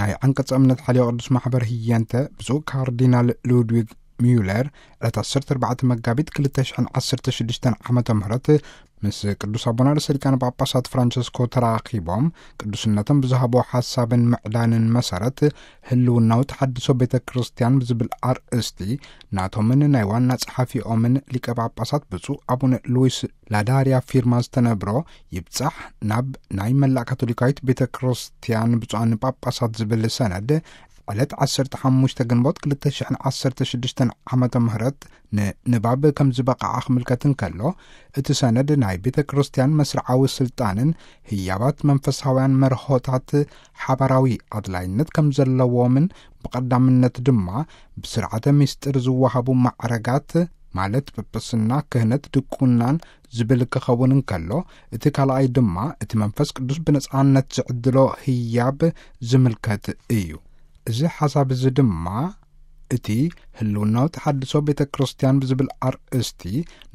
ናይ ዓንቀጸ እምነት ሓልዮ ቅዱስ ማሕበር ህየንተ ብፁዕ ካርዲናል ሉድዊግ ሚዩለር ዕለት ዓሰርተ ኣርባዕተ መጋቢት ክልተ ሽሕን ዓሰርተ ሽዱሽተን ዓመተ ምህረት ምስ ቅዱስ ኣቦና ርእሰ ሊቃነ ጳጳሳት ፍራንቸስኮ ተራኺቦም ቅዱስነቶም ብዝሃቦ ሓሳብን ምዕዳንን መሰረት ህልውናዊ ተሓድሶ ቤተ ክርስቲያን ብዝብል ኣርእስቲ ናቶምን ናይ ዋና ጸሓፊኦምን ሊቀ ጳጳሳት ብፁዕ ኣቡነ ሉዊስ ላዳርያ ፊርማ ዝተነብሮ ይብጻሕ ናብ ናይ መላእ ካቶሊካዊት ቤተ ክርስቲያን ብፁዓን ጳጳሳት ዝብል ሰነድ ዕለት ዓሰርተ ሓሙሽተ ግንቦት ክልተ ሽሕን ዓሰርተ ሽዱሽተን ዓመተ ምህረት ንንባብ ከም ዝበቕዓ ክምልከት እንከሎ፣ እቲ ሰነድ ናይ ቤተ ክርስቲያን መስርዓዊ ስልጣንን ህያባት መንፈሳውያን መርሆታት ሓባራዊ ኣድላይነት ከም ዘለዎምን ብቐዳምነት ድማ ብስርዓተ ምስጢር ዝወሃቡ ማዕረጋት ማለት ጵጵስና፣ ክህነት፣ ድቁናን ዝብል ክኸውን እንከሎ፣ እቲ ካልኣይ ድማ እቲ መንፈስ ቅዱስ ብነጻነት ዝዕድሎ ህያብ ዝምልከት እዩ። እዚ ሓሳብ እዚ ድማ እቲ ህልውናዊ ተሓድሶ ቤተ ክርስቲያን ብዝብል ኣርእስቲ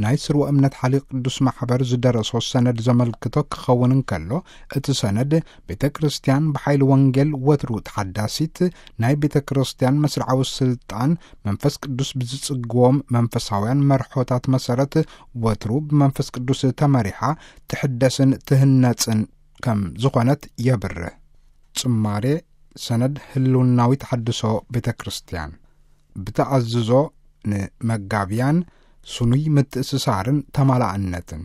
ናይ ስርወ እምነት ሓልዮ ቅዱስ ማሕበር ዝደረሶ ሰነድ ዘመልክቶ ክኸውን እንከሎ፣ እቲ ሰነድ ቤተ ክርስቲያን ብሓይሊ ወንጌል ወትሩ ተሓዳሲት ናይ ቤተ ክርስቲያን መስርዓዊ ስልጣን መንፈስ ቅዱስ ብዝጽግዎም መንፈሳውያን መርሖታት መሰረት ወትሩ ብመንፈስ ቅዱስ ተመሪሓ ትሕደስን ትህነጽን ከም ዝኾነት የብርህ። ጽማሬ ሰነድ ህልውናዊ ተሓድሶ ቤተ ክርስቲያን ብተኣዝዞ ንመጋብያን ስኑይ ምትእስሳርን ተማላእነትን።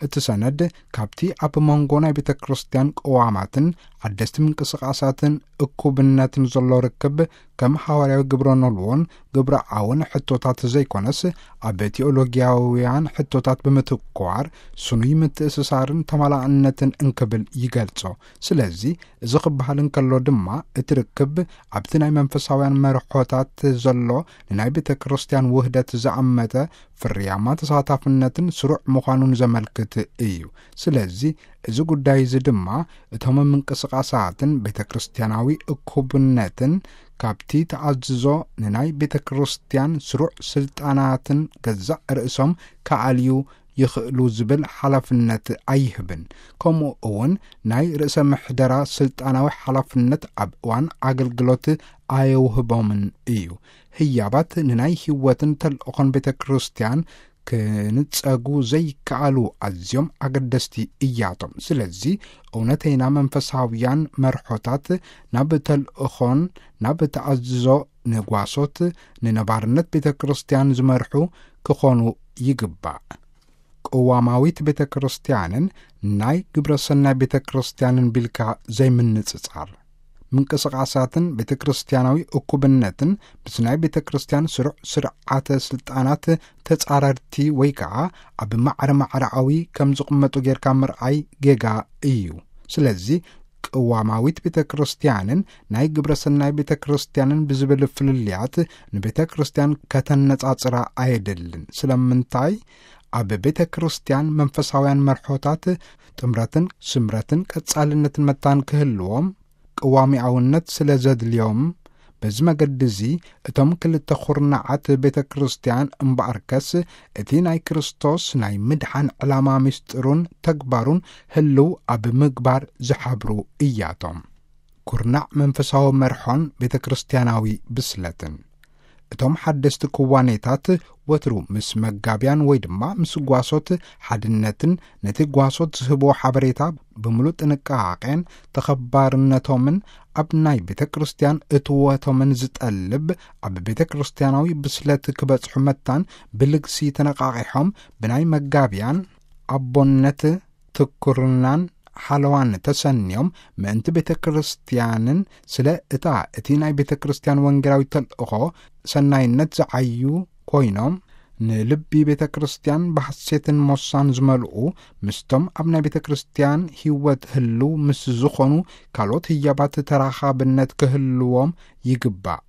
እቲ ሰነድ ካብቲ ኣብ መንጎ ናይ ቤተ ክርስቲያን ቅዋማትን ሓደስቲ ምንቅስቃሳትን እኩብነትን ዘሎ ርክብ ከም ሃዋርያዊ ግብረ ኖልዎን ግብረ ኣውን ሕቶታት ዘይኮነስ ኣብ ቴኦሎጊያውያን ሕቶታት ብምትኳር ስኑይ ምትእስሳርን ተማላእነትን እንክብል ይገልጾ። ስለዚ እዚ ክበሃል እንከሎ ድማ እቲ ርክብ ኣብቲ ናይ መንፈሳውያን መርሖታት ዘሎ ንናይ ቤተ ክርስቲያን ውህደት ዝኣመተ ፍርያማ ተሳታፍነትን ስሩዕ ምዃኑን ዘመልክት እዩ። ስለዚ እዚ ጉዳይ እዚ ድማ እቶም ምንቅስቃሳትን ቤተ ክርስቲያናዊ እኩብነትን ካብቲ ተኣዝዞ ንናይ ቤተ ክርስቲያን ስሩዕ ስልጣናትን ገዛእ ርእሶም ክኣልዩ ይኽእሉ ዝብል ሓላፍነት ኣይህብን። ከምኡ እውን ናይ ርእሰ ምሕደራ ስልጣናዊ ሓላፍነት ኣብ እዋን ኣገልግሎት ኣየውህቦምን እዩ። ህያባት ንናይ ህይወትን ተልእኾን ቤተ ክርስቲያን ክንጸጉ ዘይከኣሉ ኣዝዮም ኣገደስቲ እያቶም። ስለዚ እውነተይና መንፈሳውያን መርሖታት ናብ ተልእኾን ናብ ተኣዝዞ ንጓሶት ንነባርነት ቤተ ክርስቲያን ዝመርሑ ክኾኑ ይግባእ። ቅዋማዊት ቤተ ክርስቲያንን ናይ ግብረ ሰናይ ቤተ ክርስቲያንን ቢልካ ዘይምንጽጻር። ምንቅስቃሳትን ቤተ ክርስቲያናዊ እኩብነትን ምስ ናይ ቤተ ክርስቲያን ስሩዕ ስርዓተ ስልጣናት ተጻረርቲ ወይ ከኣ ኣብ ማዕረ ማዕረኣዊ ከም ዝቕመጡ ጌርካ ምርኣይ ጌጋ እዩ። ስለዚ ቅዋማዊት ቤተ ክርስቲያንን ናይ ግብረ ሰናይ ቤተ ክርስቲያንን ብዝብል ፍልልያት ንቤተ ክርስቲያን ከተነጻጽራ ኣየድልን። ስለምንታይ? ኣብ ቤተ ክርስቲያን መንፈሳውያን መርሖታት ጥምረትን ስምረትን ቀጻልነትን መታን ክህልዎም ቅዋሚኣውነት ስለ ዘድልዮም፣ በዚ መገዲ እዚ እቶም ክልተ ኹርናዓት ቤተ ክርስቲያን እምበኣርከስ እቲ ናይ ክርስቶስ ናይ ምድሓን ዕላማ ምስጢሩን ተግባሩን ህልው ኣብ ምግባር ዝሓብሩ እያቶም። ኩርናዕ መንፈሳዊ መርሖን ቤተ ክርስቲያናዊ ብስለትን። እቶም ሓደስቲ ክዋኔታት ወትሩ ምስ መጋብያን ወይ ድማ ምስ ጓሶት ሓድነትን ነቲ ጓሶት ዝህብዎ ሓበሬታ ብምሉእ ጥንቃቄን ተኸባርነቶምን ኣብ ናይ ቤተ ክርስቲያን እትወቶምን ዝጠልብ ኣብ ቤተ ክርስቲያናዊ ብስለት ክበጽሑ መታን ብልግሲ ተነቃቂሖም ብናይ መጋብያን ኣቦነት ትኩርናን ሓለዋን ተሰንዮም ምእንቲ ቤተ ክርስቲያንን ስለ እታ እቲ ናይ ቤተ ክርስቲያን ወንጌላዊ ተልእኾ ሰናይነት ዝዓዩ ኮይኖም ንልቢ ቤተ ክርስቲያን ብሓሴትን ሞሳን ዝመልኡ ምስቶም ኣብ ናይ ቤተ ክርስቲያን ህይወት ህልው ምስ ዝኾኑ ካልኦት ህያባት ተራኻብነት ክህልዎም ይግባእ።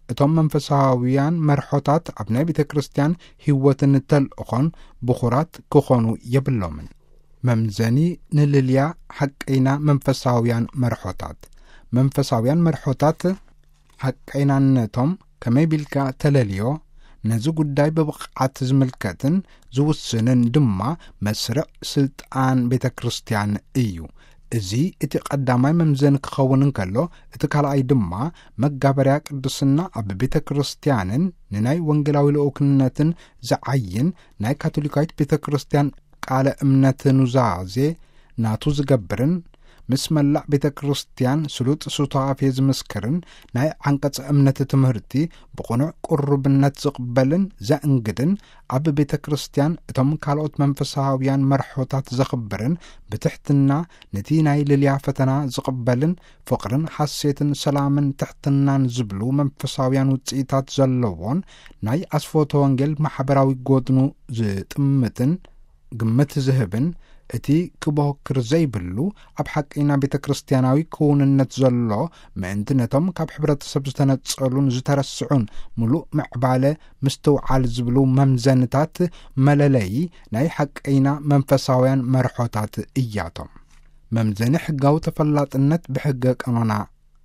እቶም መንፈሳውያን መርሖታት ኣብ ናይ ቤተ ክርስቲያን ህይወትን ተልእኾን ብኹራት ክኾኑ የብሎምን። መምዘኒ ንልልያ ሓቀይና መንፈሳውያን መርሖታት። መንፈሳውያን መርሖታት ሓቀይናነቶም ከመይ ቢልካ ተለልዮ፣ ነዚ ጉዳይ ብብቕዓት ዝምልከትን ዝውስንን ድማ መስርዕ ስልጣን ቤተ ክርስቲያን እዩ። እዚ እቲ ቀዳማይ መምዘኒ ክኸውን እንከሎ፣ እቲ ካልኣይ ድማ መጋበርያ ቅድስና ኣብ ቤተ ክርስቲያንን ንናይ ወንጌላዊ ልኡክነትን ዝዓይን ናይ ካቶሊካዊት ቤተ ክርስቲያን ቃለ እምነት ኑዛዜ ናቱ ዝገብርን ምስ መላእ ቤተ ክርስቲያን ስሉጥ ሱታፌ ዝምስክርን ናይ ዓንቀጸ እምነት ትምህርቲ ብቕኑዕ ቅሩብነት ዝቕበልን ዘእንግድን፣ ኣብ ቤተ ክርስቲያን እቶም ካልኦት መንፈሳውያን መርሖታት ዘኽብርን ብትሕትና ነቲ ናይ ልልያ ፈተና ዝቕበልን ፍቕርን ሓሴትን ሰላምን ትሕትናን ዝብሉ መንፈሳውያን ውጽኢታት ዘለዎን ናይ ኣስፎተ ወንጌል ማሕበራዊ ጎድኑ ዝጥምትን ግምት ዝህብን እቲ ክበክር ዘይብሉ ኣብ ሓቀይና ቤተ ክርስቲያናዊ ክውንነት ዘሎ ምእንቲ ነቶም ካብ ሕብረተሰብ ዝተነጸሉን ዝተረስዑን ምሉእ ምዕባለ ምስትውዓል ዝብሉ መምዘንታት መለለዪ ናይ ሓቀይና መንፈሳውያን መርሖታት እያቶም። መምዘኒ ሕጋዊ ተፈላጥነት ብሕገ ቀኖና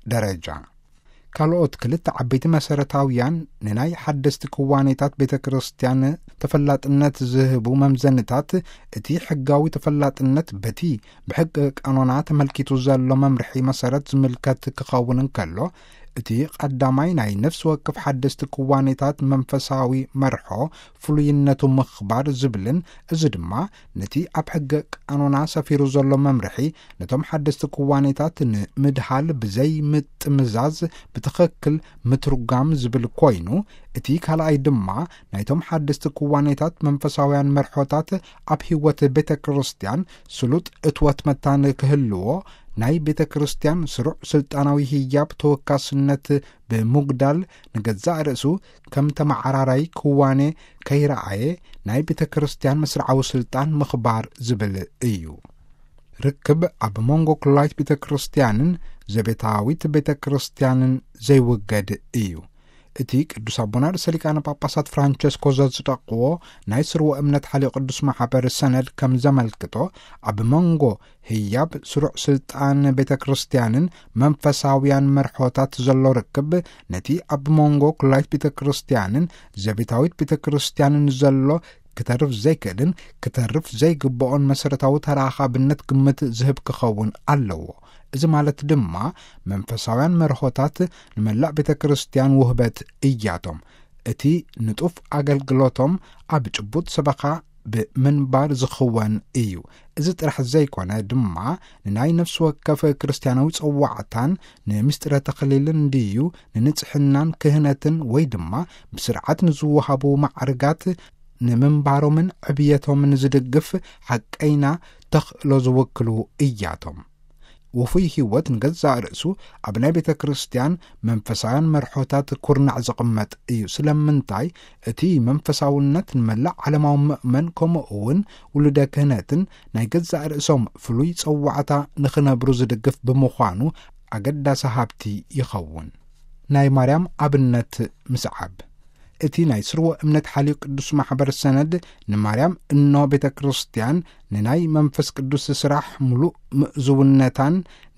ደረጃ። ካልኦት ክልተ ዓበይቲ መሰረታውያን ንናይ ሓደስቲ ክዋኔታት ቤተ ክርስቲያን ተፈላጥነት ዝህቡ መምዘንታት፣ እቲ ሕጋዊ ተፈላጥነት በቲ ብሕገ ቀኖና ተመልኪቱ ዘሎ መምርሒ መሰረት ዝምልከት ክኸውን እንከሎ፣ እቲ ቀዳማይ ናይ ነፍሲ ወከፍ ሓደስቲ ክዋኔታት መንፈሳዊ መርሖ ፍሉይነቱ ምኽባር ዝብልን፣ እዚ ድማ ነቲ ኣብ ሕገ ቀኖና ሰፊሩ ዘሎ መምርሒ ነቶም ሓደስቲ ክዋኔታት ንምድሃል ብዘይ ምጥምዛዝ ብትኽክል ምትርጓም ዝብል ኮይኑ፣ እቲ ካልኣይ ድማ ናይቶም ሓደስቲ ክዋኔታት መንፈሳውያን መርሖታት ኣብ ህይወት ቤተ ክርስቲያን ስሉጥ እትወት መታን ክህልዎ፣ ናይ ቤተ ክርስቲያን ስሩዕ ስልጣናዊ ህያብ ተወካስነት ብምጉዳል፣ ንገዛእ ርእሱ ከም ተመዓራራይ ክዋኔ ከይረኣየ ናይ ቤተ ክርስቲያን መስርዓዊ ስልጣን ምኽባር ዝብል እዩ። ርክብ ኣብ መንጎ ኩላይት ቤተ ክርስቲያንን ዘቤታዊት ቤተ ክርስቲያንን ዘይውገድ እዩ። እቲ ቅዱስ ኣቦና ርእሰ ሊቃነ ጳጳሳት ፍራንቸስኮ ዘጽደቕዎ ናይ ስርወ እምነት ሓልዮ ቅዱስ ማሕበር ሰነድ ከም ዘመልክቶ፣ ኣብ መንጎ ህያብ ስሩዕ ስልጣን ቤተ ክርስቲያንን መንፈሳውያን መርሖታት ዘሎ ርክብ፣ ነቲ ኣብ መንጎ ኩላይት ቤተ ክርስቲያንን ዘቤታዊት ቤተ ክርስቲያንን ዘሎ ክተርፍ ዘይክእልን ክተርፍ ዘይግብኦን መሰረታዊ ተራኻብነት ግምት ዝህብ ክኸውን ኣለዎ። እዚ ማለት ድማ መንፈሳውያን መርሆታት ንመላእ ቤተ ክርስቲያን ውህበት እያቶም። እቲ ንጡፍ ኣገልግሎቶም ኣብ ጭቡጥ ሰበኻ ብምንባር ዝኽወን እዩ። እዚ ጥራሕ ዘይኮነ ድማ ንናይ ነፍሲ ወከፍ ክርስቲያናዊ ጸዋዕታን ንምስጢረ ተኽሊልን ድዩ ንንጽሕናን ክህነትን ወይ ድማ ብስርዓት ንዝወሃቡ ማዕርጋት ንምንባሮምን ዕብየቶምን ዝድግፍ ሓቀይና ተኽእሎ ዝውክሉ እያቶም። ውፉይ ህይወት ንገዛእ ርእሱ ኣብ ናይ ቤተ ክርስቲያን መንፈሳውያን መርሖታት ኩርናዕ ዝቕመጥ እዩ። ስለምንታይ? እቲ መንፈሳውነት ንመላእ ዓለማዊ ምእመን ከምኡ እውን ውሉደ ክህነትን ናይ ገዛእ ርእሶም ፍሉይ ጸዋዕታ ንኽነብሩ ዝድግፍ ብምዃኑ ኣገዳሲ ሃብቲ ይኸውን። ናይ ማርያም ኣብነት ምስዓብ። እቲ ናይ ስርወ እምነት ሓልዮ ቅዱስ ማሕበር ሰነድ ንማርያም እኖ ቤተ ክርስቲያን ንናይ መንፈስ ቅዱስ ስራሕ ምሉእ ምእዝውነታን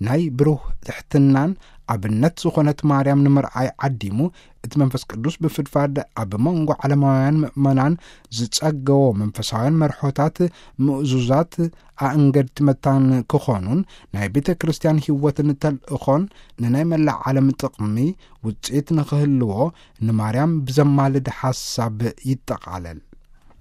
ናይ ብሩህ ትሕትናን ኣብነት ዝኾነት ማርያም ንምርኣይ ዓዲሙ፣ እቲ መንፈስ ቅዱስ ብፍድፋድ ኣብ መንጎ ዓለማውያን ምእመናን ዝጸገዎ መንፈሳውያን መርሖታት ምእዙዛት ኣእንገድቲ መታን ክኾኑን ናይ ቤተ ክርስቲያን ህይወትን ተልእኾን ንናይ መላእ ዓለም ጥቕሚ ውጽኢት ንኽህልዎ ንማርያም ብዘማልድ ሓሳብ ይጠቓለል።